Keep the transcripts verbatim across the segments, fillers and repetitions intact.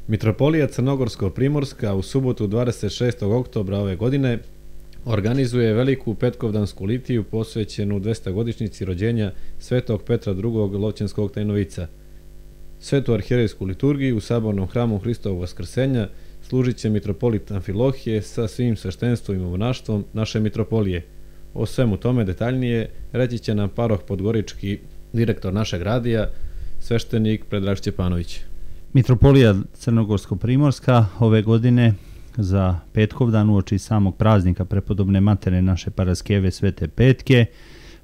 Mitropolija Crnogorsko-primorska u subotu dvadeset šestog oktobra ove godine organizuje veliku petkovdansku litiju posvećenu dvestogodišnjici rođenja Svetog Petra drugog Lovćenskog tajnovica. Svetu arhijerejsku liturgiju u sabornom hramu Hristovog Vaskrsenja služit će mitropolit Amfilohije sa svim sveštenstvom i monaštvom naše mitropolije. O svemu tome detaljnije reći će nam paroh podgorički direktor našeg radija, sveštenik Predrag Šćepanović. Mitropolija Crnogorsko-primorska ove godine za Petkovdan uoči samog praznika prepodobne matere naše Paraskeve Svete Petke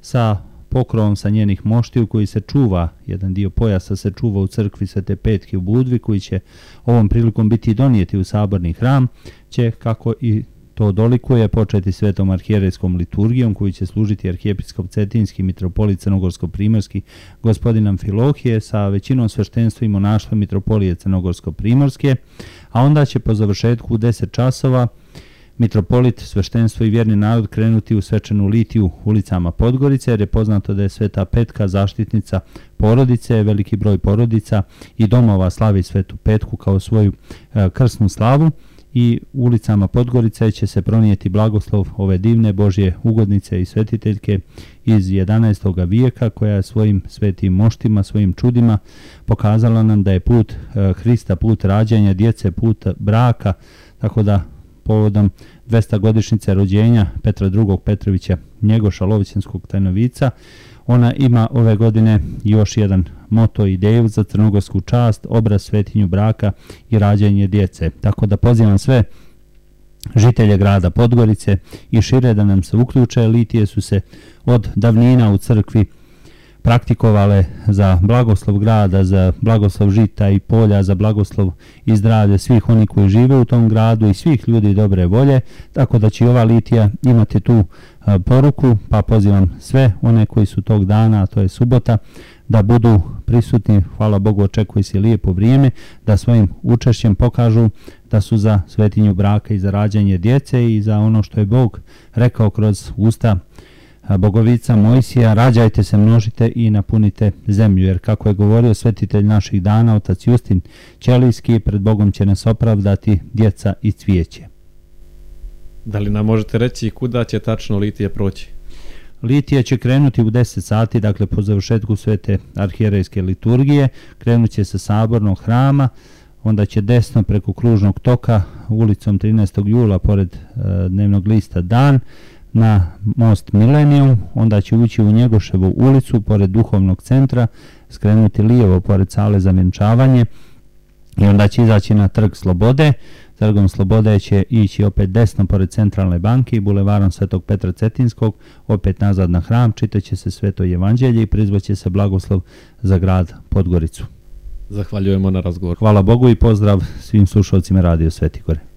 sa pokrovom sa njenih moštiju koji se čuva, jedan dio pojasa se čuva u crkvi Svete Petke u Budvi, koji će ovom prilikom biti donijeti u saborni hram, će, kako i to dolikuje, početi svetom arhijerejskom liturgijom koju će služiti arhijepiskop Cetinski mitropolit Crnogorsko-primorski gospodin Amfilohije sa većinom sveštenstva i monaštva mitropolije Crnogorsko-primorske, a onda će po završetku u deset časova mitropolit, sveštenstvo i vjerni narod krenuti u svečanu litiju ulicama Podgorice, jer je poznato da je Sveta Petka zaštitnica porodice, veliki broj porodica i domova slavi Svetu Petku kao svoju e, krsnu slavu. I ulicama Podgorice će se pronijeti blagoslov ove divne Božje ugodnice i svetiteljke iz jedanaestog vijeka, koja je svojim svetim moštima, svojim čudima pokazala nam da je put Hrista, put rađanja djece, put braka, tako da povodom dvestogodišnjice rođenja Petra drugog Petrovića Njegoša Lovćenskog tajnovica, ona ima ove godine još jedan moto, ideju za crnogorsku čast, obraz svetinju braka i rađanje djece. Tako da pozivam sve žitelje grada Podgorice i šire da nam se uključe. Litije su se od davnina u crkvi praktikovale za blagoslov grada, za blagoslov žita i polja, za blagoslov i zdravlje svih oni koji žive u tom gradu i svih ljudi dobre volje, tako da će i ova litija imati tu a, poruku, pa pozivam sve one koji su tog dana, a to je subota, da budu prisutni. Hvala Bogu, očekuje se lijepo vrijeme, da svojim učešćem pokažu da su za svetinju braka i za rađanje djece i za ono što je Bog rekao kroz usta Bogovica Mojsija: rađajte se, množite i napunite zemlju, jer kako je govorio svetitelj naših dana, otac Justin Ćelijski, pred Bogom će nas opravdati djeca i cvijeće. Da li nam možete reći kuda će tačno litija proći? Litija će krenuti u deset sati, dakle po završetku svete arhijerejske liturgije, krenut će sa sabornog hrama, onda će desno preko kružnog toka ulicom trinaestog jula pored e, dnevnog lista Dan na most Milenijum, onda će ući u Njegoševu ulicu pored duhovnog centra, skrenuti lijevo pored sale za vjenčavanje i onda će izaći na trg Slobode. Trgom Slobode će ići opet desno pored centralne banke i bulevarom Svetog Petra Cetinskog, opet nazad na hram, čitaće se Sveto evanđelje i prizvaće se blagoslov za grad Podgoricu. Zahvaljujemo na razgovor. Hvala Bogu i pozdrav svim slušalcima Radio Sveti Gore.